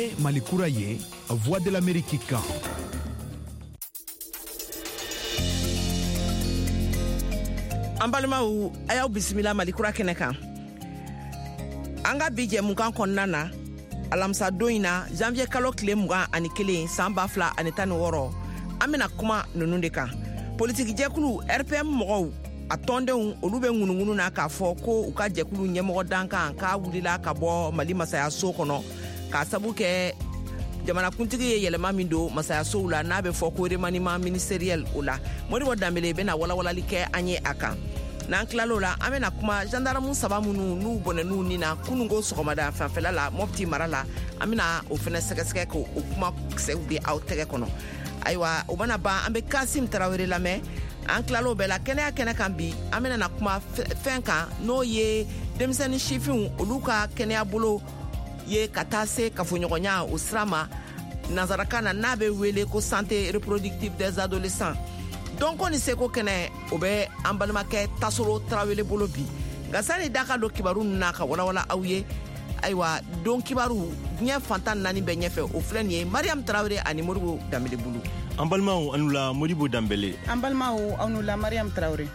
Ye Mali kura ye, Voix de l'Amérique kan. An balimaw, a y'aw bisimila Mali kura kɛnɛ kan. An ka bi jɛmukan kɔnɔna na, alamisa don in na, janvier kalo tile 21, san 2016, an bɛna kuma ninnu de kan. Politikijɛkulu RPM mɔgɔw, a tɔndenw, olu bɛ ŋunuŋunu na k'a fɔ ko u ka jɛkulu ɲɛmɔgɔ dankan k'a wulila ka bɔ Mali masayaso kɔnɔ k'a sabu kɛ jamanakuntigi ye yɛlɛma min don masayasow la, n'a bɛ fɔ ko remaniement ministériel. O la, Modibo Danbele bɛna walawalali kɛ an ye a kan. N'an tilal'o la, an bɛna kuma gendarme saba minnu n'u bɔnɛn'u ni na kununko sɔgɔmada fanfɛla la Mopti mara la. An bɛna o fɛnɛ sɛgɛsɛgɛ k'o kuma kisɛw di aw tɛgɛ kɔnɔ. Ayiwa, o mana ban, an bɛ Kasim Tarawele lamɛn. An tilal'o bɛɛ la, kɛnɛya kɛnɛ kan bi, an bɛna na kuma fɛn kan, n'o ye denmisɛnnin sifinw olu ka kɛnɛya bolo ye ka taa se kafoɲɔgɔnya o sira ma, nansarakan na n'a bɛ wele ko santé reproductive des adolescents. Dɔnko ni seko kɛnɛ, o bɛ an balimakɛ Tasoro Tarawele bolo bi. Nka sani da ka don kibaru ninnu na ka walawala aw ye, ayiwa, don kibaru diɲɛ fantan naani bɛɛ ɲɛfɛ, o filɛ nin ye Mariam Tarawele ani Modibo Danbele bolo. An balimaw, aw la Modibo Danbele. An balimaw, aw la Mariam Tarawele.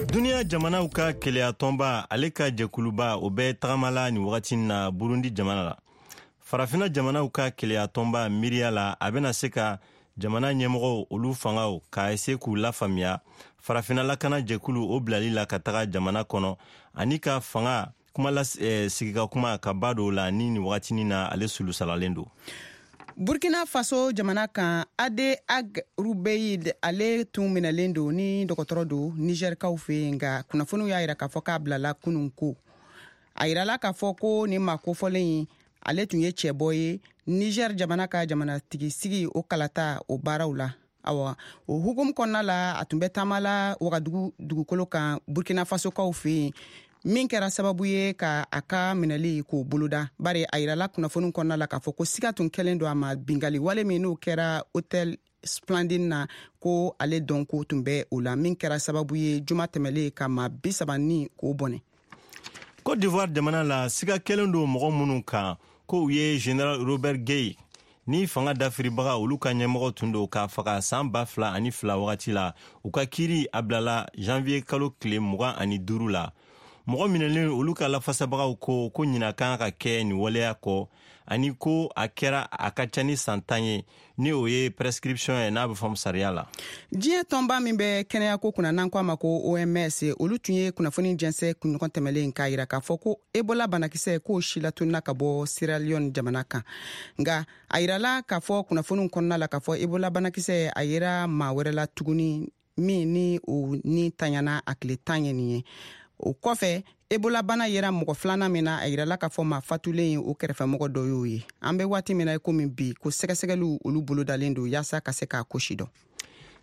Duniya jamanaw ka keleya tɔnba, ale ka jɛkuluba, o bɛ tagamala nin wagati na Burundi jamana la. Farafina jamanaw ka keleya tɔnba miiriya la, a bɛna se ka jamana ɲɛmɔgɔw, olu fangaw ka se k'u lafaamuya farafina lakana jɛkulu o bilali la ka taga jamana kɔnɔ, ani ka fanga kuma la, sigi ka kuma ka ba dɔw la ni nin wagatinin na ale sulusalalen don. Burkina Faso jamana kan, Ade Ag Rubeid, ale tun minɛlen don ni dɔgɔtɔrɔ don Nizɛrikaw fɛ yen, nka kunnafoniw y'a yira k'a fɔ k'a bilala kunun ko. A yirala k'a fɔ ko nin maa kofɔlen in, ale tun ye cɛbɔ ye Niger jamana ka jamanatigi sigi o kalata o baaraw la. Awa, o hukumu kɔnɔna la, a tun bɛ taama la Wagadugu dugukolo kan Burkina Fasokaw fɛ yen, min kɛra sababu ye ka a ka minɛli k'o boloda, bari a yirala kunnafoni kɔnɔna la k'a fɔ ko siga tun kɛlen don a ma bingali wale min n'o kɛra Hôtel Splendide na, ko ale dɔnko tun bɛ o la, min kɛra sababu ye juma tɛmɛlen ka maa 30 ni k'o bɔnɛ. Côte d'Ivoire jamana la, siga kɛlen don mɔgɔ minnu kan ko u ye Général Robert Gueï ni fanga dafiribaga olu ka ɲɛmɔgɔ tun don k'a faga san 2002 wagati la, u ka kiiri a bilala janvier kalo tile 25 la. Mɔgɔ minɛlen olu ka lafasabagaw ko ko ɲina kan ka kɛ nin waleya kɔ, ani ko a kɛra a ka ca ni san 10 ye, ni o ye prescription ye n'a bɛ fɔ sariya la. Diɲɛ tɔnba min bɛ kɛnɛyako kunna, n'an ko a ma ko OMS, olu tun ye kunnafoni jɛnsɛ kunɲɔgɔn tɛmɛlen k'a yira k'a fɔ ko Ebola banakisɛ k'o silatunna ka bɔ Sierra Leone jamana kan. Nka a yirala k'a fɔ kunnafoniw kɔnɔna la k'a fɔ Ebola banakisɛ a yera maa wɛrɛ la tuguni, min ni o ni tanyana a tile 10 ye nin ye. O kɔfɛ, Ebola bana yera mɔgɔ filanan min na, a yirala k'a fɔ maa fatulen ye o kɛrɛfɛmɔgɔ dɔ y'o ye. An bɛ waati min na i komi bi, ko sɛgɛsɛgɛliw olu bolodalen don yaasa ka se k'a ko sidɔn.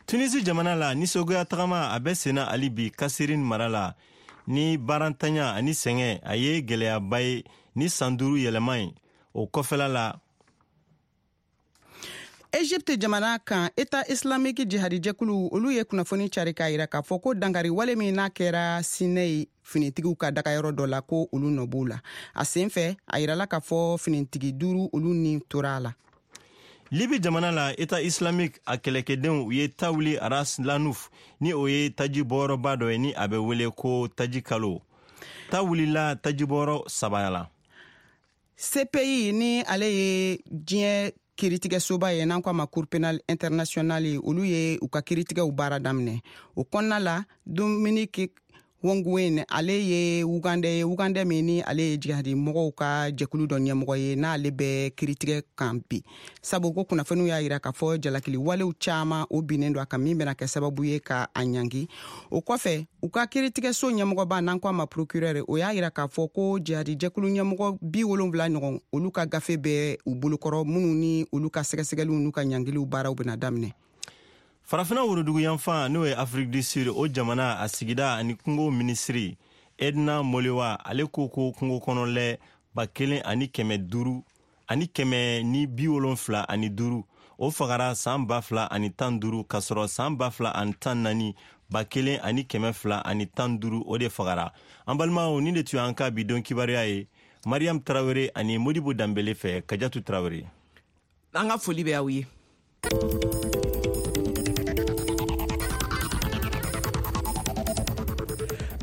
Tunisi jamana la, nisɔngoya tagama a bɛ senna hali bi Kasirin mara la ni baarantanya ani sɛgɛn a ye gɛlɛyaba ye ni san 5 yɛlɛma ye o kɔfɛla la. Egypte jamana kan, État islamique jihadijɛkulu olu ye kunnafoni cari k'a yira k'a fɔ ko dankari wale min n'a kɛra Sinɛyi finitigiw ka dagayɔrɔ dɔ la, ko olu nɔ b'o la. A sen fɛ, a yirala k'a fɔ finitigi duuru olu ni tora a la. Libi jamana la, État islamique a kɛlɛkɛdenw u ye ta wuli Ras Lanuf, ni o ye taji bɔyɔrɔba dɔ ye ni a bɛ wele ko taji kalo. Ta wulila tajibɔyɔrɔ saba la. CPI, ni ale ye diɲɛ kiiritigɛsoba ye n'an ko a ma Cour pénale internationale, olu ye u ka kiiritigɛw baara daminɛ. O kɔnɔna la, Dominique Ongwen, ale ye Wugandɛ ye, Wugandɛ min ni ale ye jihadi mɔgɔw ka jɛkulu dɔ ɲɛmɔgɔ ye, n'ale bɛ kiiritigɛ kan bi, sabu ko kunnafoniw y'a yira k'a fɔ jalakili walew caaman o binnen don a kan, min bɛna kɛ sababu ye ka a ɲangi. O kɔfɛ, u ka kiiritigɛso ɲɛmɔgɔba, n'an ko a ma procureur, o y'a yira k'a fɔ ko jihadi jɛkulu ɲɛmɔgɔ 70 ɲɔgɔn, olu ka gafe bɛ u bolokɔrɔ, minnu ni olu ka sɛgɛsɛgɛliw n'u ka ɲangiliw baaraw bɛna daminɛ. Farafina woroduguyanfan, n'o ye Afrique du Sud, o jamana a sigida ani kungo minisiri Edna Molewa, ale ko ko kungo kɔnɔlɛ 1575, o fagara san 2015, k'a sɔrɔ san 2014 1215 o de fagara. An balimaw, nin de tun y'an ka bi don kibaruya ye Mariam Tarawele ani Modibo Danbele fɛ. Kajatu Tarawele, an ka foli bɛ aw ye.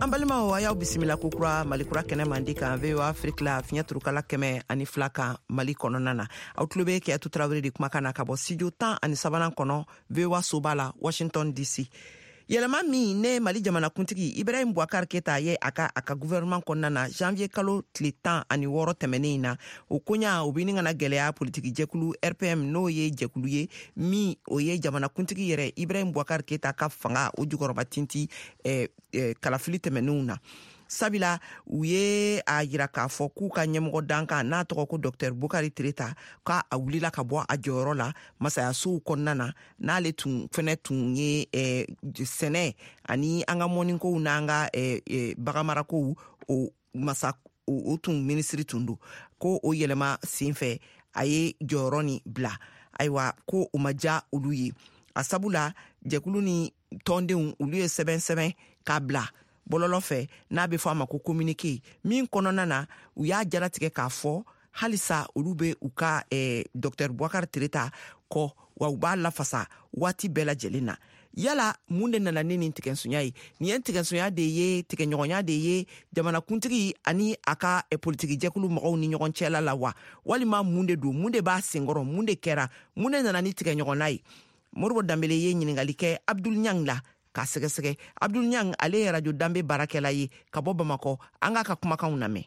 An balimaw, a y'aw bisimila kokura Malikura kɛnɛ mandi kan VOA Afrique la, fiɲɛ turukala 102 kan Mali kɔnɔna na. Aw tulo bɛ Kɛyatu Tarawele de kumakan na ka bɔ studio 13nan kɔnɔ, VOA soba la, Washington DC. Yɛlɛma min ne Mali jamanakuntigi Ibrahim Boubacar Keta ye a ka gouvernement kɔnɔna na janvier kalo tile 16 tɛmɛnen in na, o koɲa o bɛ ni kana gɛlɛya politiki jɛkulu RPM, n'o ye jɛkulu ye min o ye jamanakuntigi yɛrɛ Ibrahim Boubacar Keta ka fanga o jukɔrɔba tinti kalafili tɛmɛnenw na. Sabula u ye a yira k'a fɔ k'u ka ɲɛmɔgɔ dankan n'a tɔgɔ ko Dr Bokari Tereta, k'a a wulila ka bɔ a jɔyɔrɔ la masayasow kɔnɔna na, n'ale tun fɛnɛ tun ye sɛnɛ ani an ka mɔnikow n'an ka baganmarakow o masa o tun minisiri tun don, ko o yɛlɛma sen fɛ a ye jɔyɔrɔ nin bila. Ayiwa, ko o ma diya olu ye. A sabu la, jɛkulu ni tɔndenw olu ye sɛbɛn sɛbɛn k'a bila bɔlɔlɔ fɛ, n'a bɛ fɔ a ma ko communiqué, min kɔnɔna na u y'a jalatigɛ k'a fɔ halisa olu bɛ u ka Dr Boubacar Tereta kɔ, wa u b'a lafasa waati bɛɛ lajɛlen na. Yala mun de nana ni nin tigɛnsonya ye? Nin ye tigɛnsonya de ye, tigɛɲɔgɔnya de ye jamanakuntigi ani a ka politiki jɛkulu mɔgɔw ni ɲɔgɔn cɛla la wa, walima mun de don? Mun de b'a senkɔrɔ? Mun de kɛra? Mun de nana ni tigɛɲɔgɔnna ye? Moribo Danbele ye ɲiningali kɛ Abdul Ɲang la k'a sɛgɛsɛgɛ. Abdul Ɲang, ale ye Radio Danbe baarakɛla ye ka bɔ Bamakɔ. An k'a ka kumakanw lamɛn.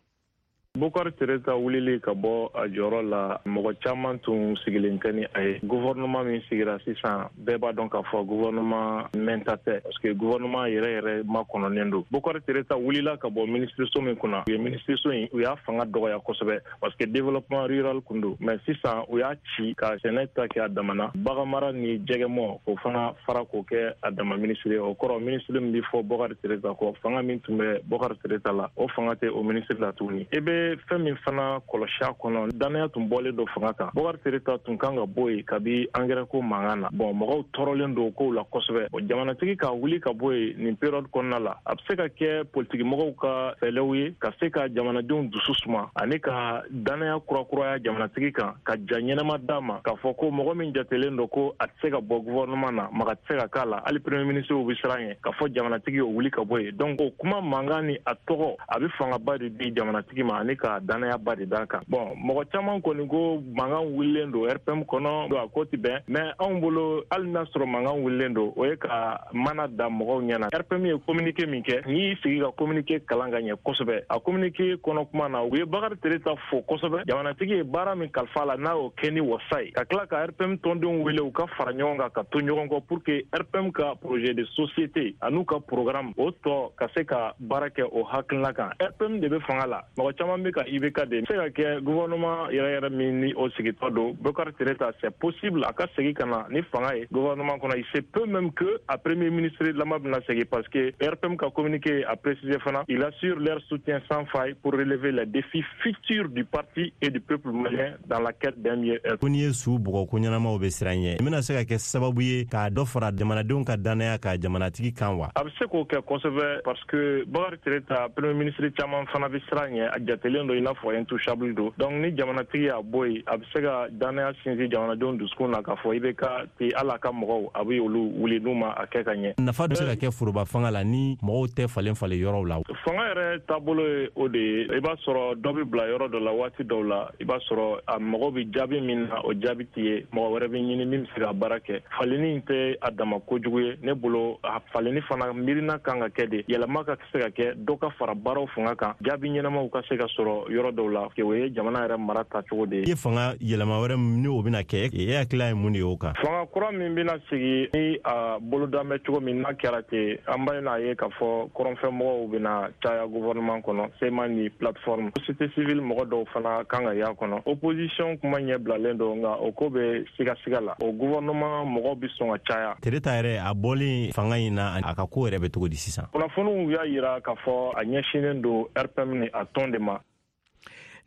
Bokari Tereta wulili ka bɔ a jɔyɔrɔ la, mɔgɔ caman tun sigilen tɛ ni a ye. Gouvernement min sigira sisan, bɛɛ b'a dɔn k'a fɔ gouvernement mɛnta tɛ, parce que gouvernement yɛrɛ yɛrɛ makɔnɔnen don. Bokari Tereta wulila ka bɔ minisiriso min kunna, u ye minisiriso in, u y'a fanga dɔgɔya kosɛbɛ, parce que développement rural kun don, mais sisan u y'a ci ka sɛnɛ ta kɛ a damana, baganmara ni jɛgɛmɔ k'o fana fara k'o kɛ a dama minisiri ye. O kɔrɔ, minisiri min bɛ fɔ Bokari Tereta kɔ, fanga min tun bɛ Bokari Tereta la, o fanga tɛ o minisiri la tuguni. I bɛ fɛn min fana kɔlɔsi a kɔnɔ, danaya tun bɔlen don fanga kan. Bokari Tereta tun kan ka bɔ yen kabi angɛrɛ ko mankan na. Bon, mɔgɔw tɔɔrɔlen don kow la kosɛbɛ. Jamanatigi ka wuli ka bɔ yen nin période kɔnɔna la, a bɛ se ka kɛ politikimɔgɔw ka fɛlɛw ye ka se ka jamanadenw dusu suma ani ka danaya kurakuraya jamanatigi kan, ka ja ɲɛnama d'a ma k'a fɔ ko mɔgɔ min jatelen don ko a tɛ se ka bɔ gouvernement na, maga tɛ se ka k'a la, hali premier ministre bɛ siran ɲɛ k'a fɔ jamanatigi y'o wuli ka bɔ yen. Donc o kuma mankan ni a tɔgɔ, a bɛ fangaba de di jamanatigi ma ani ka danayaba de d'a kan. Bon, mɔgɔ caman kɔni ko mankan wulilen don RPM kɔnɔ, a ko ti bɛn, mais anw bolo, hali n'a sɔrɔ mankan wulilen don, o ye ka mana da mɔgɔw ɲɛna. RPM ye communiqué min kɛ, n'i y'i sigi ka communiqué kalan ka ɲɛ kosɛbɛ, a communiqué kɔnɔ kuma na, u ye Bakari Tereta fo kosɛbɛ, jamanatigi ye baara min kalifa la, n'a y'o kɛ ni wasa ye, ka tila ka RPM tɔndenw wele u ka fara ɲɔgɔn kan ka to ɲɔgɔn kɔ pour que RPM ka projet de société an'u ka programme o tɔ ka se ka baara kɛ o hakilina kan. RPM de bɛ fanga la, mɔgɔ caman bɛ ka IBK de se ka kɛ gouvernement yɛrɛ yɛrɛ min ni o sigitɔ don. Bokari Tereta, c'est possible a ka segin ka na ni fanga ye gouvernement kɔnɔ. Il se peut même que a premier ministre lama bɛna segin, parce que RPM ka communiqué a précisé fana: il assure leur soutien sans faille pour relever les défis futurs du parti et du peuple malien dans la quête d'un mieux-être. Ko n'i ye su bugɔ, ko ɲɛnamaw bɛ siran ɲɛ, i bɛna se ka kɛ sababu ye k'a dɔ fara jamanadenw ka danaya ka jamanatigi kan wa? A bɛ se k'o kɛ kosɛbɛ, parce que Bakari Tereta, premier ministre caman fana bɛ siran ɲɛ, a jatelen don i n'a fɔ intouchable don. Donc ni jamanatigi y'a bɔ yen, a bɛ se ka danaya sinsin jamanadenw dusukun na k'a fɔ IBK tɛ hali a ka mɔgɔw, a bɛ olu wuli n'u ma a kɛ ka ɲɛ. Nafa bɛ se ka kɛ foroba fanga la ni mɔgɔw tɛ falen falen yɔrɔw la? Fanga yɛrɛ taabolo ye o de ye. I b'a sɔrɔ dɔ bɛ bila yɔrɔ dɔ la waati dɔw la, i b'a sɔrɔ a mɔgɔ bɛ jaabi min na, o jaabi tɛ ye, mɔgɔ wɛrɛ bɛ ɲini min bɛ se ka baara kɛ. Falenni tɛ a dama kojugu ye ne bolo. A falenni fana miirina kan ka kɛ de, yɛlɛma ka se ka kɛ, dɔ ka fara baaraw fanga kan, jaabi ɲɛnamaw ka se ka sɔrɔ yɔrɔ dɔw la. O ye jamana yɛrɛ mara tacogo de ye. I ye fanga yɛlɛma wɛrɛ ni o bɛna kɛ, e hakilila ye mun de ye o kan? Fanga kura min bɛna sigi ni a boloda bɛ cogo min n'a kɛra ten, an b'a ye k'a fɔ kɔrɔnfɛmɔgɔw bɛna caya gouvernement kɔnɔ, CMA ni plateforme, société civile mɔgɔ dɔw fana kan ka y'a kɔnɔ. Opposition kuma ɲɛ bilalen don, nka o ko bɛ sigasiga la. O gouvernement mɔgɔw bɛ sɔn ka caya. Tereta yɛrɛ, a bɔlen fanga in na, a ka ko yɛrɛ bɛ cogo di sisan? Kunnafoniw y'a yira k'a fɔ a ɲɛsinnen don RPM ni a tɔn de ma.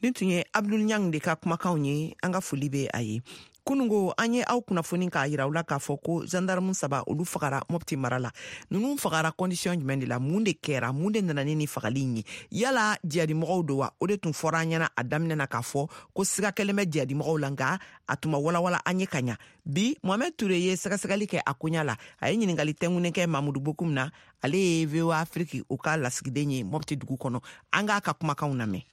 Nin tun ye Abdul Ɲang de ka kumakanw ye. An ka foli bɛ a ye. Kunungo an ye aw kunnafoni k'a yira aw la k'a fɔ ko gendarme 3 olu fagara Mopti mara la. Ninnu fagara condition jumɛn de la? Mun de kɛra? Mun de nana ni nin fagali in ye? Yala jihadimɔgɔw don wa? O de tun fɔra an ɲɛna a daminɛ na k'a fɔ ko siga kɛlen bɛ jihadimɔgɔw la, nka a tun ma walawala an ye ka ɲa. Bi Mohamed Toure ye sɛgɛsɛgɛli kɛ a koɲa la. A ye ɲininkali tɛnkunnen kɛ Mamudu Bokum na, ale ye VOA Afrique o ka lasigiden ye Mopti dugu kɔnɔ. An k'a ka kumakanw lamɛn.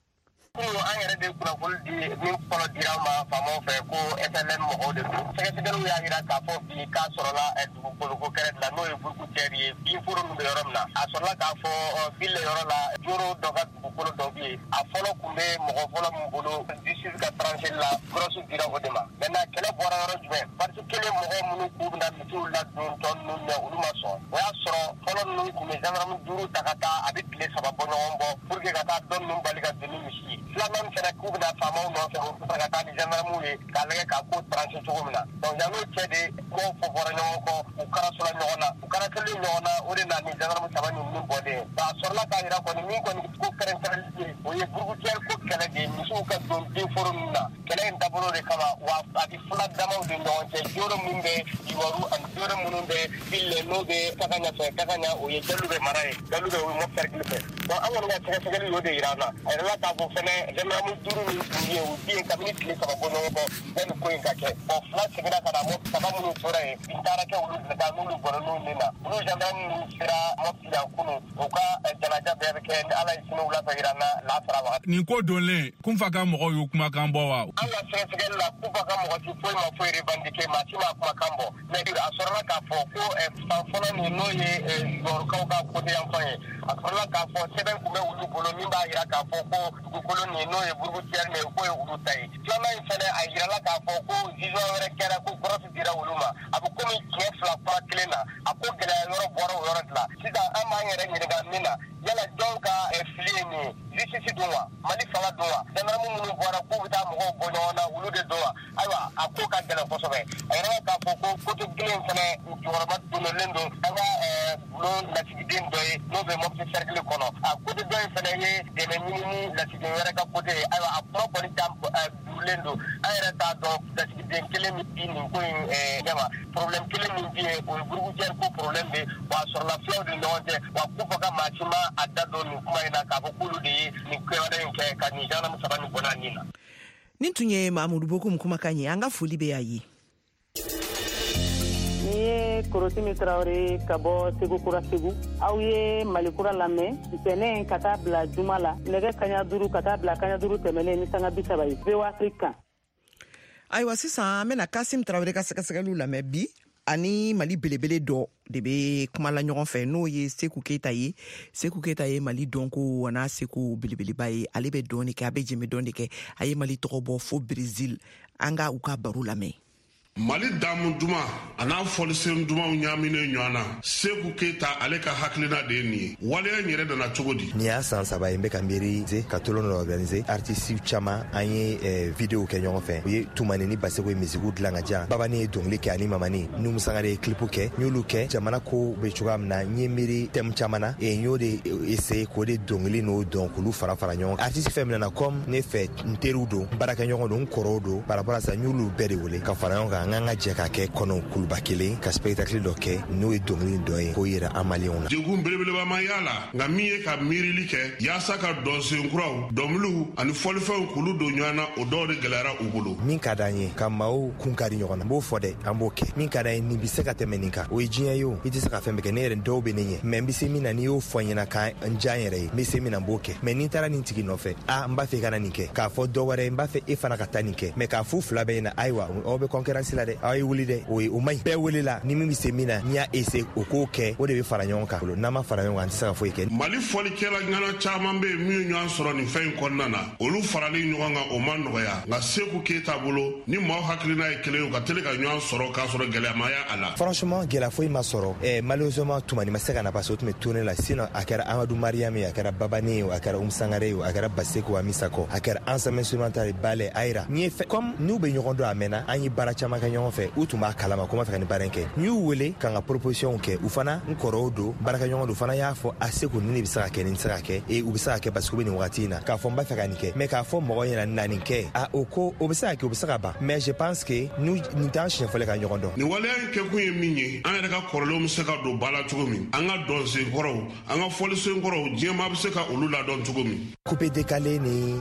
Kunun an yɛrɛ de kunnafoni di min fɔlɔ dira an ma faamaw fɛ ko FLN mɔgɔw de don. Sɛgɛsɛgɛliw y'a jira k'a fɔ bi k'a sɔrɔla dugukoloko kɛrɛ de la, n'o ye Burukutɛri ye, binforo min bɛ yɔrɔ min na. A sɔrɔla k'a fɔ Bile yɔrɔ la, Joro dɔ ka dugukolo dɔ bɛ yen. A fɔlɔ tun bɛ mɔgɔ fɔlɔ min bolo justice ka trancheli la, grosse dira o de ma. Maintenant kɛlɛ bɔra yɔrɔ jumɛn? Parti kelen mɔgɔ minnu k'u bɛna misiw ladon tɔ ninnu ɲɛ, olu ma sɔn. O y'a sɔrɔ fɔlɔ ninnu tun bɛ gendarme 5 ta ka taa, a bɛ tile 3 bɔ ɲɔgɔn bɔ pour que ka taa dɔ ninnu bali ka don ni misi ye. Filanan fɛnɛ k'u bɛna faamaw nɔfɛ, u bɛ ka taa ni gendarmew ye k'a lajɛ k'a ko trancher cogo min na. Donc yan'o cɛ de kumaw fɔ bɔra ɲɔgɔn kɔ, u karasola ɲɔgɔn na, u karaselen ɲɔgɔn na, o de na ni gendarme 3 ninnu bɔlen ye. A sɔrɔla k'a jira kɔni min kɔni ko kɛrɛnkɛrɛnli ye, o ye Burukutɛri ko kɛlɛ de ye, misiw ka don denforo ninnu na. Kɛlɛ in dabolo de kama, wa a bɛ fila damaw de ɲɔgɔn cɛ, joro min bɛ Yiwaru ani joro minnu bɛ Bile, n'o bɛ Kakaɲa fɛ. Kakaɲa o ye Jalubɛ mara ye, Jalubɛ o ye Mopti cercle fɛ. Donc an kɔni ka sɛgɛsɛgɛli y'o de yira an na. A yirala k'a fɔ fɛnɛ gendarme 5 min tun bɛ yen, u bɛ yen kabini tile 3 bɔ ɲɔgɔn kɔ yanni ko in ka kɛ. Bon 2 seginna ka na, Mopti 3 minnu tora yen, bin taara kɛ olu de kan, n'olu bɔra n'u min na. Olu gendarme minnu sera Mopti yan kunun, u ka janaja bɛɛ bɛ kɛ ni Ala ye sini wula fɛ yira an na lasara wagati. Nin ko donlen, Kunfa ka mɔgɔw y'u kumakan bɔ wa? An ka sɛgɛsɛgɛli la, Kunfa ka mɔgɔ si foyi ma foyi revendiquer, maa si ma kumakan bɔ. Mais a sɔrɔla k'a fɔ ko fan fɔlɔ nin, n'o ye Yiwarukaw ka côté yan fan ye, a sɔrɔla k'a fɔ sɛbɛn tun bɛ olu bolo min b'a jira k'a fɔ ko dugukolo nin, n'o ye Burukutɛri nin ye, k'o ye olu ta ye. Filanan in fɛnɛ, a yirala k'a fɔ ko jugement wɛrɛ kɛra, ko grosse dira olu ma. A bɛ komi tiɲɛ 2 kuma kelen na, a ko gɛlɛya yɔrɔ bɔra o yɔrɔ de la. Sisan an b'an yɛrɛ ɲininka min na, yala jɔn ka fili ye nin ye? Justice don wa? Mali fanga don wa? Gendarme minnu bɔra k'u bɛ taa mɔgɔw bɔ ɲɔgɔn na, olu de don wa? Ayiwa, a ko ka gɛlɛn kosɛbɛ. A yɛrɛ k'a fɔ ko côté kelen fɛnɛ jukɔrɔba donnen don an ka bulon lasigiden dɔ ye, n'o bɛ Mopti cercle kɔnɔ. A côté dɔ in fɛnɛ ye dɛmɛ ɲini ni lasigiden wɛrɛ ka côté ye. Ayiwa, a kuma kɔni ta durulen don. An yɛrɛ t'a dɔn lasigiden kelen min bi nin ko in ɲɛma. Problème kelen min bɛ yen, o ye Burukutɛri ko problème de ye. Wa a sɔrɔla filaw de ɲɔgɔn cɛ. Wa Kunfa ka maa si ma a da don nin kuma in na k'a fɔ k'olu de ye nin kɛwale in kɛ ka nin gendarme 3 nin bɔnna nin na. Nin tun ye Mamudu Bokum kumakan ye. An ka foli bɛ y'a ye. Ni ye Korotimi Tarawele ka bɔ Segu Kura Segu. Aw ye Mali Kura lamɛn ntɛnɛn ka taa bila juma la nɛgɛ kaɲa 5 ka taa bila kaɲa 5 tɛmɛnen ni sanga 30 ye VOA Afrique kan. Ayiwa, sisan an bɛna Kasim Tarawele ka sɛgɛsɛgɛliw lamɛn bi. Ani Mali belebele dɔ de bɛ kuma la ɲɔgɔn fɛ, n'o ye Seku Keyita ye. Seku Keyita ye Mali dɔnko n'a seko belebeleba ye. Ale bɛ dɔn de kɛ, a bɛ jɛmɛ dɔn de kɛ. A ye Mali tɔgɔ bɔ fo Brésil. An ka u ka baro lamɛn. Mali damu duman a n'a fɔlisen dumanw ɲaaminen ɲɔgɔn na, Seku Keyita ale ka hakilina de ye nin ye. Waleya in yɛrɛ nana cogo di? Nin y'a san 3 ye n bɛ ka miiri ka tolon dɔ organiser. Artiste caman an ye video kɛ ɲɔgɔn fɛ. U ye Tumani ni Baseko ye misiku dilan ka diyan. Babani ye dɔnkili kɛ ani Mamani. Numu Sangare ye clip kɛ. N y'olu kɛ. Jamana ko bɛ cogoya min na, n ye miiri thème caman na. N y'o de essayer k'o de dɔnkili n'o dɔn k'olu fara fara ɲɔgɔn kan. Artiste fɛn min nana comme ne fɛ, n teriw don, n baarakɛɲɔgɔn don, n kɔrɔw don. Par rapport à ça, n y'olu bɛɛ de wele ka fara ɲɔgɔn kan. An k'an ka jɛ ka kɛ kɔnɔ kuluba kelen ka spectacle dɔ kɛ, n'o ye dɔnkili dɔ ye k'o yira an maliyɛnw na. Degun belebeleba ma y'a la, nka min ye ka miirili kɛ yaasa ka dɔnsen kuraw, dɔnkiliw ani fɔlifɛnw k'olu don ɲɔgɔn na, o dɔw de gɛlɛyara u bolo. Min ka d'an ye ka maaw kun kari ɲɔgɔn na, n b'o fɔ dɛ, an b'o kɛ. Min ka d'an ye, nin bɛ se ka tɛmɛ nin kan, o ye diɲɛ ye o. I tɛ se ka fɛn bɛɛ kɛ. Ne yɛrɛ dɔw bɛ ne ɲɛ, mais n bɛ se min na, n'i y'o fɔ n ɲɛna ka n diya n yɛrɛ ye, n bɛ se min na, n b'o kɛ. Mais ni n taara nin tigi nɔfɛ, a n b'a fɛ i kana nin kɛ, k'a fɔ dɔ wɛrɛ ye, n b'a fɛ e fana ka taa nin kɛ, mais k'a f'u fila bɛɛ ɲɛna, ayiwa aw bɛ concurrence la dɛ, aw ye wuli dɛ, o ye o man ɲi. Bɛɛ welela, ni min bɛ se min na, n'i y'a essayer o k'o kɛ, o de bɛ fara ɲɔgɔn kan. N'an ma fara ɲɔgɔn kan, an tɛ se ka foyi kɛ. Mali fɔlikɛla ŋana caman bɛ yen min ye ɲɔgɔn sɔrɔ nin fɛn in kɔnɔna na, olu farali ɲɔgɔn kan o ma nɔgɔya, nka Seku Keyita bolo, ni maaw hakilina ye kelen ye, u ka teli ka ɲɔgɔn sɔrɔ k'a sɔrɔ gɛlɛya ma y'a la. Franchement, gɛlɛya foyi ma sɔrɔ. Malheureusement, Tumani ma se ka na parce que o tun bɛ tournée la. Sinon a kɛra Amadou Mariam ye, a kɛra Babani ye, a kɛra Oumou Sangare ye, a kɛra Baseko Amisako, a kɛra ensemble instrumental ye, ballet, Ayira. Ni ye fɛn comme n'u bɛ ɲɔgɔn dɔn a mɛnna, an ye baara caman kɛ. kɛ ɲɔgɔn fɛ, u tun b'a kalama ko n b'a fɛ ka nin baara in kɛ. N y'u wele ka n ka proposition kɛ, u fana n kɔrɔw don, baarakɛɲɔgɔn don, fana y'a fɔ a Seku nin de bɛ se ka kɛ, nin tɛ se ka kɛ, e u bɛ se ka kɛ parce que u bɛ nin wagati in na k'a fɔ n b'a fɛ ka nin kɛ, mais k'a fɔ mɔgɔ ɲɛna na nin kɛ, a o ko o bɛ se ka kɛ, o bɛ se ka ban, mais je pense que nin t'an siɲɛ fɔlɔ ka ɲɔgɔn dɔn. Nin waleya in kɛkun ye min ye, an yɛrɛ ka kɔrɔlenw bɛ se ka don ba la cogo min, an ka dɔnsenkɔrɔw, an ka fɔlisenkɔrɔw, diɲɛmaa bɛ se ka olu ladɔn cogo min. Coupé décalé ni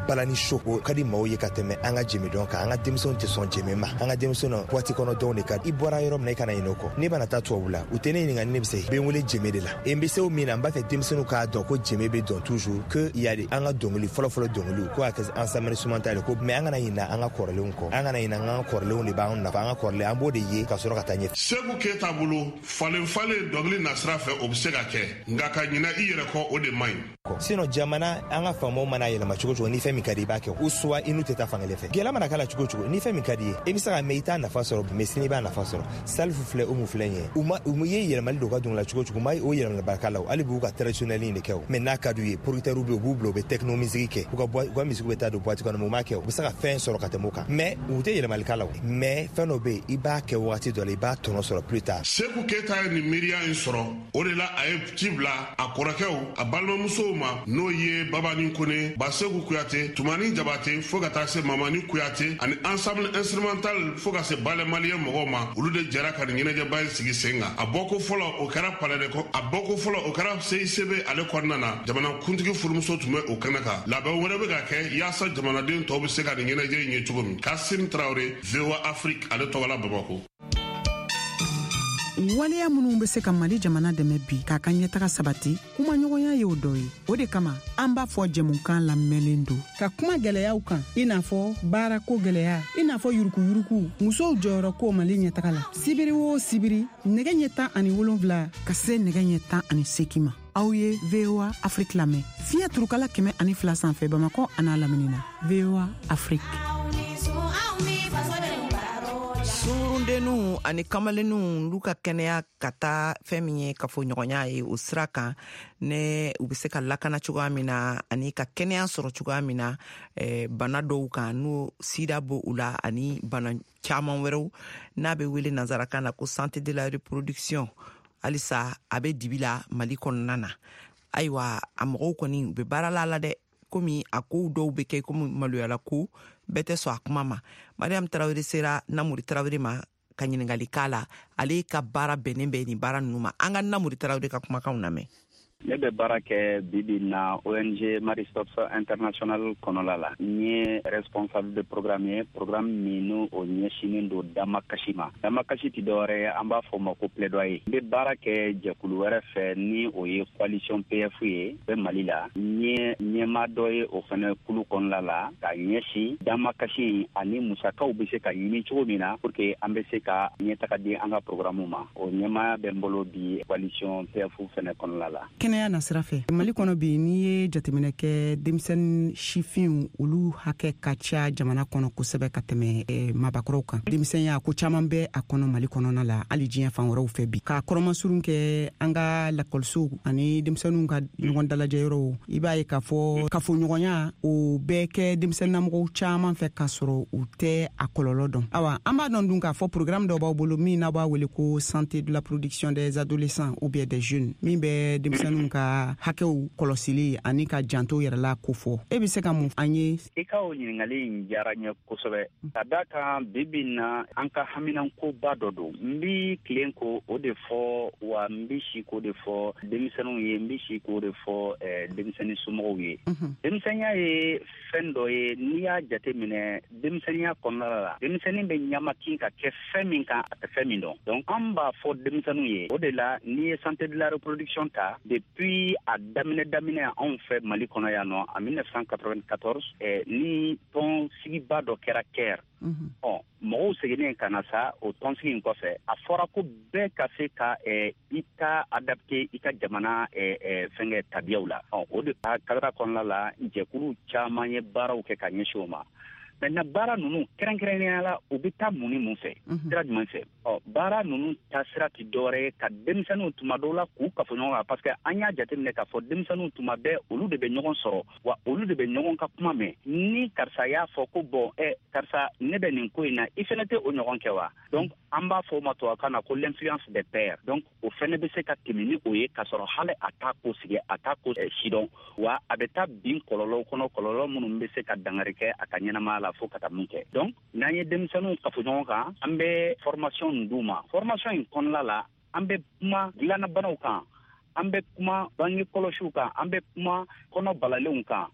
balani show o ka di maaw ye ka tɛmɛ an ka jemedɔn kan. An ka denmisɛnw tɛ sɔn jeme ma, an ka denmisɛnw boîte kɔnɔ dɔnw de ka di. I bɔra yɔrɔ min na, i kana ɲinɛ o kɔ. Ne bɛna taa tubabu la, u tɛ ne ɲininka ni ne bɛ se, bɛ n wele jeme de la. E n bɛ se o min na, n b'a fɛ denmisɛnninw k'a dɔn ko jeme bɛ dɔn toujours, que y a an ka dɔnkili fɔlɔfɔlɔ dɔnkiliw ko a kɛ ensemble instrumental ko, mais an kana ɲinɛ an ka kɔrɔlenw kɔ, an kana ɲinɛ an ka kɔrɔlenw de b'an nafa, an ka kɔrɔlen an b'o de ye ka sɔrɔ ka taa ɲɛfɛ. Seku Keyita bolo, falen falen dɔnkili nasira fɛ, o bɛ se ka kɛ, nka ka ɲinɛ i yɛrɛ kɔ, o de man ɲi. Sinon jamana, an ka faamaw mana yɛlɛma cogo cogo, ni fɛn min ka di i b'a kɛ, ou soit i n'u tɛ taa fankelen fɛ. Gɛlɛya mana k'a la cogo cogo, ni fɛn min ka di ye, i bɛ se ka mɛn, i t'a nafa sɔrɔ, mais sini i b'a nafa sɔrɔ. Salifu filɛ, o mun filɛ nin ye, u ma u ye yɛlɛmali don u ka dɔnkili la cogo cogo, u ma o yɛlɛmali barika la, hali b'u ka traditionnel in de kɛ o. Mais n'a ka d'u ye, producteurs bɛ yen, u b'u bila, u bɛ techno musique kɛ, u ka musique bɛ taa don boîte kɔnɔ, mais u m'a kɛ. U bɛ se ka fɛn sɔrɔ ka tɛmɛ o kan, mais u tɛ yɛlɛmali k'a la o. Mais fɛn dɔ bɛ yen, i b'a kɛ wagati dɔ la, i b'a tɔnɔ sɔrɔ plus tard. Seku Keyita ye nin miiriya in sɔrɔ, o de la a ye ci bila a kɔrɔkɛw, a balimamusow ma, n'o ye Babani Kone, Baseku Kuyate, Tumani Jabate, fo ka taa se Mamani Kuyate ani ensemble instrumental, fo ka se Ballet Malien mɔgɔw ma. Olu de jɛra ka nin ɲɛnajɛba in sigi sen kan. A bɔko fɔlɔ, o kɛra palais de kɔ, a bɔko fɔlɔ, o kɛra CICB ale kɔnɔna na. Jamana kuntigi furumuso tun bɛ o kɛnɛ kan. Labɛn wɛrɛ bɛ ka kɛ yaasa jamanaden tɔw bɛ se ka nin ɲɛnajɛ in ye cogo min. Kasim Traoré, VOA Afrique ale tɔgɔ la, Bamakɔ. Waleya minnu bɛ se ka Mali jamana dɛmɛ bi k'a ka ɲɛtaga sabati, kumaɲɔgɔnya y'o dɔ ye. O de kama an b'a fɔ jɛmukan lamɛnlen don ka kuma gwɛlɛyaw kan, i n'a fɔ baarako gwɛlɛya, i n'a fɔ yurukuyuruku, musow jɔyɔrɔ ko Mali ɲɛtaga la. Sibiri o sibiri, nɛgɛ ɲɛ 17 ka se nɛgɛ ɲɛ 18 ma, aw ye VOA Afrique lamɛn fiɲɛ turukala 102 sanfɛ, Bamakɔ an'a lamini na. VOA Afrique. Sungurudenninw ani kamalenninw, olu ka kɛnɛya ka taa fɛn min ye kafoɲɔgɔnya ye, o sira kan ne u be se ka lakana cogoya min na ani ka kɛnɛya sɔrɔ cogoya min na bana dɔw kan, n'o sida bo u la ani bana caaman wɛrɛw, n'a be wele nansarakan na ko santé de la reproduction, halisa a be dibi la Mali kɔnɔna na. Ayiwa, a mɔgɔw kɔni u be baara la la dɛ, komi a kow dɔw be kɛ komi maloyala ko, bɛɛ tɛ sɔn a kuma ma. Mariam Tarawele sera Namori Tarawele ma ka ɲiningali k'a la. Ale ka baara bɛnnen bɛ nin baara ninnu ma. An ka Namori Tarawele ka kumakanw lamɛn. Ne bɛ baara kɛ bibi na ONG Marie Stopes International kɔnɔla la. N ye responsable de programme ye, programme min n'o o ɲɛsinnen don damakasi ma. Damakasi tɛ dɔwɛrɛ ye, an b'a fɔ o ma ko plaidoyer. N bɛ baara kɛ jɛkulu wɛrɛ fɛ, ni o ye coalition PF ye bɛ Mali la. N ye ɲɛmaa dɔ ye o fɛnɛ kulu kɔnɔla la ka ɲɛsin damakasi ani musakaw bɛ se ka ɲini cogo min na pour que an bɛ se ka ɲɛtaga di an ka programme ma. O ɲɛmaaya bɛ n bolo bi coalition PF fɛnɛ kɔnɔla la. Kɛnɛya nasira fɛ, Mali kɔnɔ bi, n'i ye jateminɛ kɛ, denmisɛnnin sifinw olu hakɛ ka ca jamana kɔnɔ kosɛbɛ ka tɛmɛ mabakɔrɔw kan. Denmisɛnya ko caman bɛ a kɔnɔ Mali kɔnɔna la, hali diɲɛ fan wɛrɛw fɛ bi. Ka kɔrɔmasurun kɛ an ka lakɔlisow ani denmisɛnninw ka ɲɔgɔn dalajɛ yɔrɔw, i b'a ye k'a fɔ kafoɲɔgɔnya o bɛ kɛ denmisɛnninnamɔgɔw caman fɛ k'a sɔrɔ u tɛ a kɔlɔlɔ dɔn. Awa, an b'a dɔn dun k'a fɔ programme dɔ b'aw bolo min n'aw b'a wele ko santé de la production des adolescents ou bien des jeunes, min bɛ denmisɛnninw ka hakɛw kɔlɔsili ani ka janto yɛrɛ la ko fɔ. E bɛ se ka mun an ye? I ka o ɲininkali in diyara n ye kosɛbɛ, ka da kan bi bi na an ka haminankoba dɔ don. N bi tilen ko o de fɔ wa, n bi si k'o de fɔ denmisɛnninw ye, n bi si k'o de fɔ denmisɛnnin somɔgɔw ye. Denmisɛnninya ye fɛn dɔ ye, n'i y'a jate minɛ denmisɛnninya kɔnɔna la, denmisɛnnin bɛ ɲamakin ka kɛ fɛn min kan, a tɛ fɛn min dɔn. Donc an b'a fɔ denmisɛnninw ye, o de la n'i ye santé de la reproduction ta, depuis a daminɛ daminɛ anw fɛ Mali kɔnɔ yan nɔ, en 1994, ni tɔn sigiba dɔ kɛra Caire. Ɔ, mɔgɔw seginnen ka na sa o tɔnsigi in kɔfɛ, a fɔra ko bɛɛ ka se ka i ta adapté i ka jamana fɛnkɛ tabiyaw la. Ɔ, o de cadre kɔnɔna la, jɛkulu caman ye baaraw kɛ ka ɲɛsin o ma. Maintenant baara ninnu kɛrɛnkɛrɛnnenya la, u bɛ taa mun ni mun fɛ, sira jumɛn fɛ? Ɔ, baara ninnu ta sira tɛ dɔwɛrɛ ye ka denmisɛnninw tuma dɔw la k'u kafo ɲɔgɔn kan, parce que an y'a jateminɛ k'a fɔ denmisɛnninw tuma bɛɛ olu de bɛ ɲɔgɔn sɔrɔ, wa olu de bɛ ɲɔgɔn ka kuma mɛn. Ni karisa y'a fɔ ko bon, karisa, ne bɛ nin ko in na, i fɛnɛ tɛ o ɲɔgɔn kɛ wa? Donc an b'a fɔ o ma tubabukan na ko l'influence des pairs. Donc o fɛnɛ bɛ se ka tɛmɛ ni o ye k'a sɔrɔ hali a t'a ko sigi, a t'a ko sidɔn, wa a bɛ taa bin kɔlɔlɔw kɔnɔ, kɔlɔlɔ minnu bɛ se ka dankari kɛ a ka ɲɛnamaya la fo ka taa mun kɛ. Donc n'an ye denmisɛnninw kafo ɲɔgɔn kan, an bɛ formation d'u ma. Formation in kɔnɔna la, an bɛ kuma dilannabanaw kan, an bɛ kuma bange kɔlɔsiw kan, an bɛ kuma kɔnɔ balalenw kan.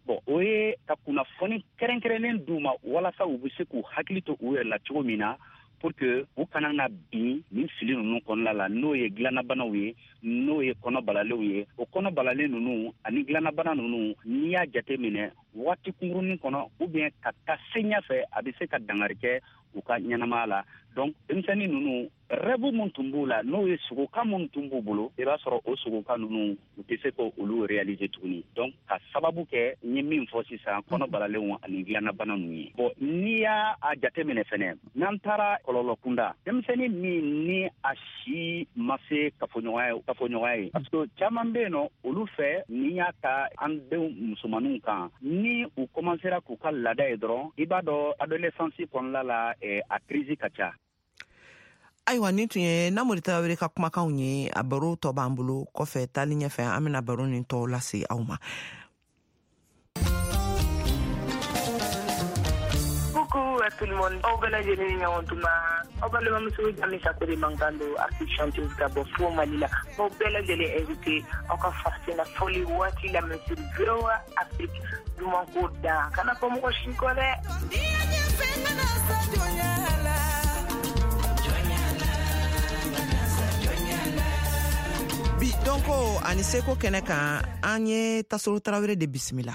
Bon, o ye ka kunnafoni kɛrɛnkɛrɛnnen d'u ma walasa u bɛ se k'u hakili to u yɛrɛ la cogo min na, pour que u kana na bin nin fili ninnu kɔnɔna la, n'o ye dilannabanaw ye, n'o ye kɔnɔ balalenw ye. O kɔnɔ balalen ninnu ani dilannabana ninnu, n'i y'a jate minɛ waati kunkurunin kɔnɔ ou bien ka taa se ɲɛfɛ, a bɛ se ka dankari kɛ u ka ɲɛnamaya la. Donc denmisɛnnin ninnu, rêve mun tun b'u la, n'o ye sogokan mun tun b'u bolo, i b'a sɔrɔ o sogokan ninnu, u tɛ se k'olu réaliser tuguni. Donc ka sababu kɛ n ye min fɔ sisan, kɔnɔ balalenw ani dilannabana ninnu ye. Bon, n'i y'a jate minɛ fɛnɛ, n'an taara kɔlɔlɔ kunda, denmisɛnnin min ni a si ma se kafoɲɔgɔnya ye, parce que caman bɛ yen nɔ, olu fɛ, n'i y'a ta an denw musomaninw kan, ni u commencera k'u ka laada ye dɔrɔn, i b'a dɔn adolescence kɔnɔna la, a crise ka ca. Ayiwa, nin tun ye Namori Tarawele ka kumakanw ye. A baro tɔ b'an bolo kɔfɛ, taali ɲɛfɛ an bɛna baro nin tɔw lase aw ma. Coucou à tout le monde. Aw bɛɛ lajɛlen ni ɲɔgɔn tuma. Aw balimamuso Jami Sako de mankan don, artiste chanteuse ka bɔ fo Mali la. Aw bɛɛ lajɛlen invité aw ka farafina fɔli waati lamɛn sur VOA Afrique. Duman ko da kana fɔ mɔgɔ si kɔ dɛ. Bi dɔnko ani seko kɛnɛ kan, an ye Tasolo Tarawele de bisimila.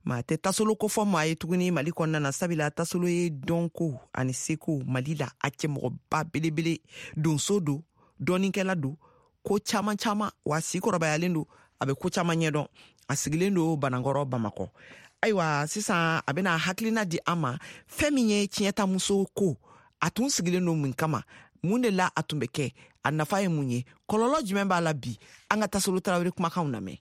Maa tɛ Tasolo kofɔ maa ye tuguni Mali kɔnɔna na, sabula Tasolo ye dɔnko ani seko Mali la a cɛmɔgɔba belebele, donso don, dɔnnikɛla don, ko caman caman, wa si kɔrɔbayalen don, a bɛ ko caman ɲɛdɔn. A sigilen don Banankɔrɔ, Bamakɔ. Ayiwa, sisan a bɛna hakilina di an ma fɛn min ye tiɲɛtamuso ko, a tun sigilen don mun kama, mun de la a tun bɛ kɛ, a nafa ye mun ye, kɔlɔlɔ jumɛn b'a la bi. An ka Tasolo Tarawele kumakanw lamɛn.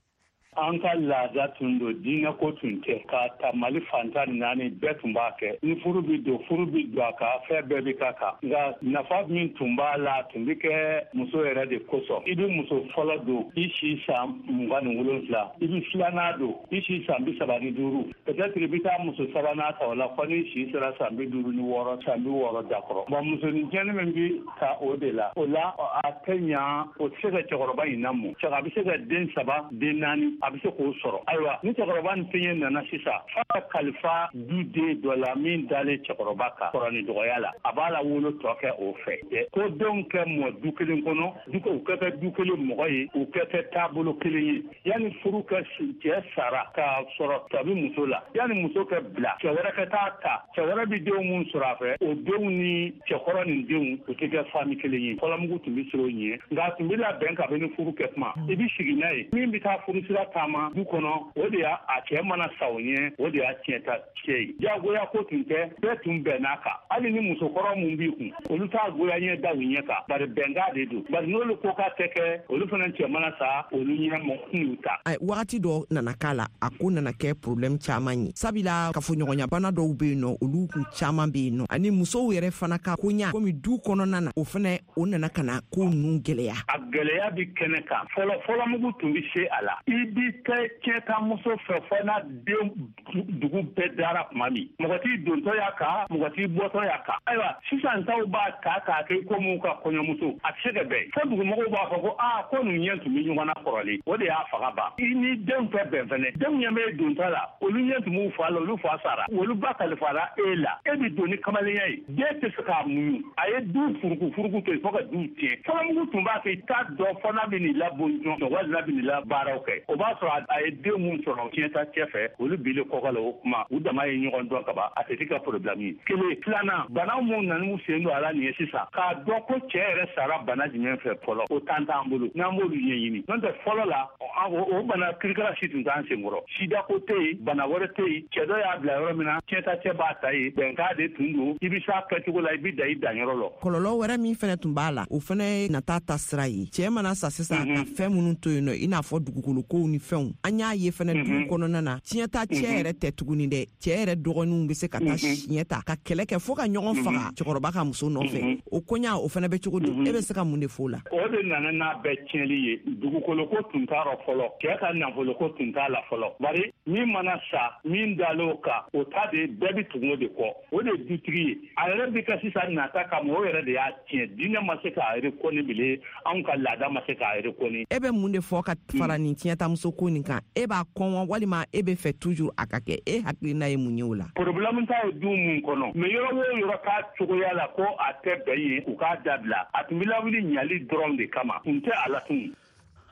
An ka laada tun don, diinɛko tun tɛ. K'a ta Mali fan 14 bɛɛ tun b'a kɛ. Ni furu bɛ don, furu bɛ don a kan, fɛn bɛɛ bɛ k'a kan. Nka nafa min tun b'a la, a tun bɛ kɛ muso yɛrɛ de kosɔn. I bɛ muso fɔlɔ don, i si san 27, i bɛ filanan don, i si san 35. Peut-être i bɛ taa muso sabanan ta o la fɔ n'i si sera san 56, san 60 dakɔrɔ. Bon, musonin cɛnni min bɛ ta o de la, o la a tɛ ɲa, o tɛ se ka cɛkɔrɔba in lamɔ. A bɛ se ka den 3, den 4, a bɛ se k'o sɔrɔ. Ayiwa, ni cɛkɔrɔba nin fiɲɛ nana sisan, f'a ka kalifa du den dɔ la min dalen cɛkɔrɔba kan kɔrɔ ni dɔgɔya la, a b'a la wolo tɔ kɛ o fɛ. Ko denw kɛ mɔ du kelen kɔnɔ, u kɛ kɛ du kelen mɔgɔ ye, u kɛ kɛ taabolo kelen ye. Yanni furu kɛ, cɛ sara k'a sɔrɔ tɔ bɛ muso la, yanni muso kɛ bila, cɛ wɛrɛ ka taa ta, cɛ wɛrɛ bɛ denw mun sɔrɔ a fɛ, o denw ni cɛkɔrɔ nin denw, u tɛ kɛ fami kelen ye. Fɔlɔmugu tun bɛ sɔrɔ ɲɛ, nka a tun bɛ labɛn kabini furu kɛ kuma. I bɛ sigi n'a ye, min bɛ taa furu sira taama du kɔnɔ, o de y'a a cɛ mana sa o ɲɛ, o de y'a tiɲɛ ta cɛ ye. Diyagoya ko tun tɛ, bɛɛ tun bɛnn'a kan. Hali ni musokɔrɔ mun b'i kun, olu t'a goya ɲɛ da u ɲɛ kan, bari bɛnkan de don. Bari n'olu ko k'a tɛ kɛ, olu fana cɛ mana sa, olu ɲɛ mɔgɔ n'u ta. Wagati dɔ nana k'a la, a ko nana kɛ problème caman ye, sabula kafoɲɔgɔnyabana dɔw bɛ yen nɔ, olu kun caman bɛ yen nɔ, ani musow yɛrɛ fana ka koɲa komi du kɔnɔna na, o fana o nana ka na ko ninnu gɛlɛya. A gɛlɛya bɛ kɛnɛ kan. Fɔlɔ fɔlɔmugu tun bɛ se a la. I bɛ kɛ tiɲɛtamuso fɛ fɔ n'a den dugu bɛɛ dara tuma min. Mɔgɔ t'i dontɔ y'a kan, mɔgɔ t'i bɔtɔ y'a kan. Ayiwa, sisan taw b'a ta k'a kɛ komi ka kɔɲɔmuso. A tɛ se ka bɛn. Fo dugumɔgɔw b'a fɔ ko aa, ko ninnu ɲɛ tun bɛ ɲɔgɔn na kɔrɔlen. O de y'a faga ban. I ni denw tɛ bɛn fɛnɛ. Denw ɲɛ bɛ dontɔ la, olu ɲɛ tun b'u fa la, olu fa sara. Olu ba kalifara e la. E bɛ don ni kamalenya ye. Den tɛ se k'a muɲu. A ye du furuku furuku to yen fo ka du tiɲɛ. Fɔlɔmugu tun b'a kɛ i t'a dɔn fɔ n'a bɛ n'i labon jɔn walima n'a bɛ n'i la baaraw kɛ. O b'a b'a sɔrɔ a ye den mun sɔrɔ tiɲɛta cɛ fɛ, olu bilen kɔkɔ la, o kuma u dama ye ɲɔgɔn dɔn ka ban, a tɛ ka problème ye. Kelen filanan, bana mun nan'u sen don a la nin ye sisan, k'a dɔn ko cɛ yɛrɛ sara bana jumɛn fɛ fɔlɔ, o tan t'an bolo, n'an b'olu ɲɛɲini. N'o tɛ fɔlɔ la, o bana kirikara si tun t'an senkɔrɔ. Sida ko tɛ yen, bana wɛrɛ tɛ yen. Cɛ dɔ y'a bila yɔrɔ min na, tiɲɛta cɛ b'a ta yen, bɛnkan de tun don, i bɛ s'a kɛcogo la, i bɛ dan i danyɔrɔ la. Kɔlɔlɔ wɛrɛ min fɛnɛ tun b'a la, o fɛnɛ ye nata ta sira ye. Cɛɛ mana sa sisan, ka fɛn minnu to yen nɔ, i n'a fɔ dugukolokow ni fɛnw, an y'a ye fɛnɛ dugu kɔnɔna na, tiɲɛta cɛ yɛrɛ tɛ tuguni dɛ, cɛɛ yɛrɛ dɔgɔninw bɛ se ka taa siɲɛ ta ka kɛlɛ kɛ fo ka ɲɔgɔn faga cɛkɔrɔba ka muso nɔfɛ. O koɲa o fɛnɛ bɛ cogo di? E bɛ se ka mun de f'o la? O de nana n'a bɛɛ tiɲɛli ye. Dugukoloko tun t'a rɔ fɔlɔ, cɛɛ ka nafoloko tun t'a la fɔlɔ, bari min mana sa, min dal'o kan, o ta de bɛɛ bɛ tugu o de kɔ, o de ye dutigi ye. A yɛrɛ bɛ ka sisan nata kama, o yɛrɛ de y'a tiɲɛ. Diinɛ ma se k'a reconnu bilen, anw ka laada ma se k'a reconnu. E bɛ mun de fɔ ka fara nin tiɲɛtamuso ko nin kan? E b'a kɔn wa, walima e bɛ fɛ toujours a ka kɛ? E hakilina ye mun ye o la? Problème t'a ye du mun kɔnɔ, mais yɔrɔ o yɔrɔ k'a cogoya la ko a tɛ bɛn yen, u k'a dabila. A tun bɛ lawuli ɲali dɔrɔn de kama, kun tɛ a la tun.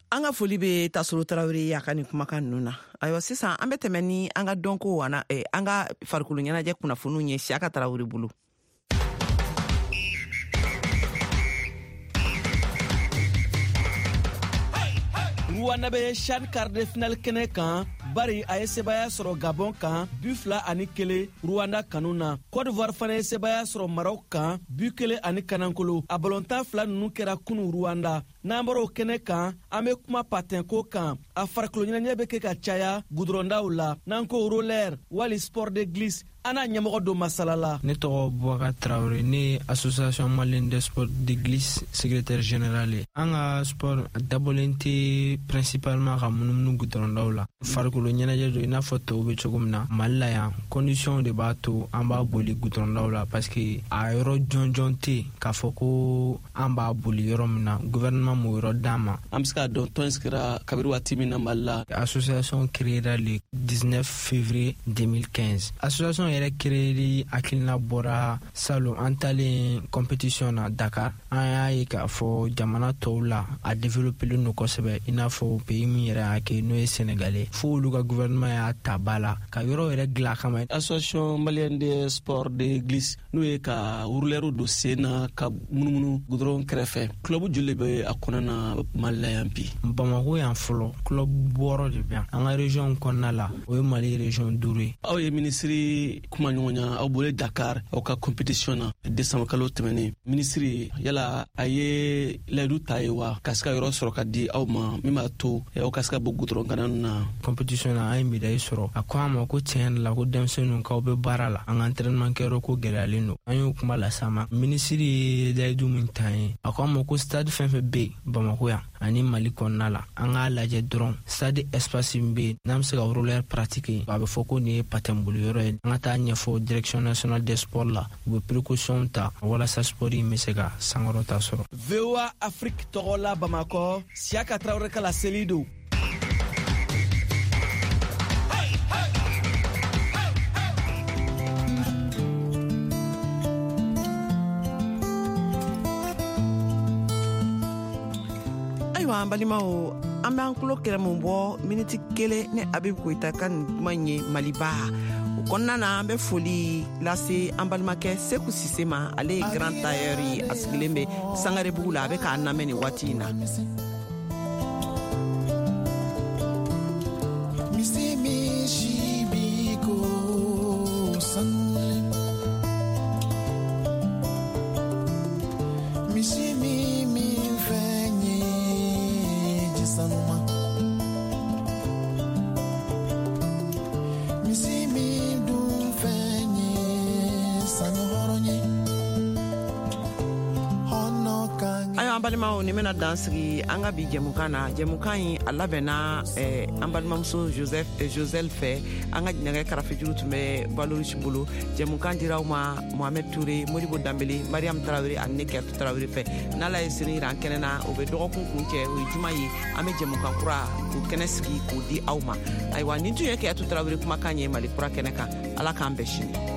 An ka foli bɛ Tasoro Tarawele ye a ka nin kumakan ninnu na. Ayiwa, sisan an bɛ tɛmɛ ni an ka dɔnko ana an ka farikolo ɲɛnajɛ kunnafoniw ye Siyaka Tarawele bolo. Rwanda bɛ CHAN quart de finale kɛnɛ kan, bari a ye sebaya sɔrɔ Gabon kan 2-1 Rwanda kanu na. Côte d'Ivoire fana ye sebaya sɔrɔ Maroc kan 1-0. A balontan fila ninnu kɛra kunu Rwanda. N'an bɔra o kɛnɛ kan, an bɛ kuma patin ko kan. A farikolo ɲɛnajɛ bɛ kɛ ka caya gudɔrɔndaw la, n'an ko roller wali sport de glisse. An n'a ɲɛmɔgɔ don masala la. Ne tɔgɔ Boubacar Traoré, ne ye Association malienne des sports de glisse secrétaire général ye. An ka sport dabɔlen tɛ principalement ka munumunu gudɔrɔndaw la. Farikolo ɲɛnajɛ don i n'a fɔ tɔw bɛ cogo min na Mali la yan. Condition de b'a to an b'a boli gudɔrɔndaw la, parce que a yɔrɔ jɔnjɔn tɛ yen k'a fɔ ko an b'a boli yɔrɔ min na, gouvernement m'o yɔrɔ d'an ma. An bɛ se k'a dɔn tɔn sigira kabiri waati min na Mali la? Association créée le 19 février 2015. Association yɛrɛ créeli hakilina bɔra salon an talen compétition na Dakar. An y'a ye k'a fɔ jamana tɔw la a développelen don kosɛbɛ, i n'a fɔ pays min yɛrɛ y'a kɛ, n'o ye Sénégal ye, fo olu ka gouvernement y'a ta ba la ka yɔrɔ yɛrɛ dilan a kama. Association malienne des sports de glisse, n'o ye ka rouleur don sen na ka munumunu goudron kɛrɛfɛ, club joli bɛ a kɔnɔ na Mali la yan bi? Bamako yan fɔlɔ, club 6 de bɛ yan. An ka région kɔnɔna la, o ye Mali région 5 ye. Aw ye minisiri kuma ɲɔgɔnya, aw bɔlen Dakar aw ka compétition na décembre kalo tɛmɛnen, minisiri yala a ye layidu ta ye wa ka se ka yɔrɔ sɔrɔ ka di aw ma min b'a to aw ka se ka bɔ goudron kana na? Compétition na, an ye médaille sɔrɔ. A ko an ma ko tiɲɛ yɛrɛ la, ko denmisɛnninw k'aw bɛ baara la, an ka entraînement kɛyɔrɔ ko gɛlɛyalen don. An y'o kuma las'a ma. Minisiri ye layidu min ta ye, a ko an ma ko stade fɛn fɛn bɛ yen Bamako yan ani Mali kɔnɔna la, an k'a lajɛ dɔrɔn stade espace min bɛ yen n'an bɛ se ka roller pratiquer, a bɛ fɔ ko nin ye patin boli yɔrɔ ye, an ka taa ɲɛfɔ direction nationale des sports la, u bɛ précaution ta walasa sport in bɛ se ka sankɔrɔta sɔrɔ. VOA Afrique tɔgɔ la Bamakɔ, Siyaka Tarawele ka laseli don. Ayiwa, an balimaw, an b'an tulo kɛrɛmu bɔ miniti kelen ni Habib Koyita ka nin kuma in ye Maliba. O kɔnɔna na, an bɛ foli lase an balimakɛ Seku Sise ma. Ale ye grand tailleur ye, a sigilen bɛ Sangarebugu la, a bɛ k'an lamɛn nin waati in na. Ayiwa, an balimaw, nin bɛna dan sigi an ka bi jɛmukan na. Jɛmukan in a labɛnna an balimamuso Joseph Josel fɛ. An ka nɛgɛ karafejuru tun bɛ Balorisi bolo. Jɛmukan dira aw ma Mohamed Touré, Modibo Danbele, Mariam Tarawele ani ne Kɛrɛtu Tarawele fɛ. N'Ala ye sini yira an kɛnɛ na, o bɛ dɔgɔkun kun cɛ, o ye juma ye, an bɛ jɛmukan kura k'o kɛnɛ sigi k'o di aw ma. Ayiwa, nin tun ye Kɛrɛtu Tarawele kumakan ye Mali kura kɛnɛ kan. Ala k'an bɛn sini.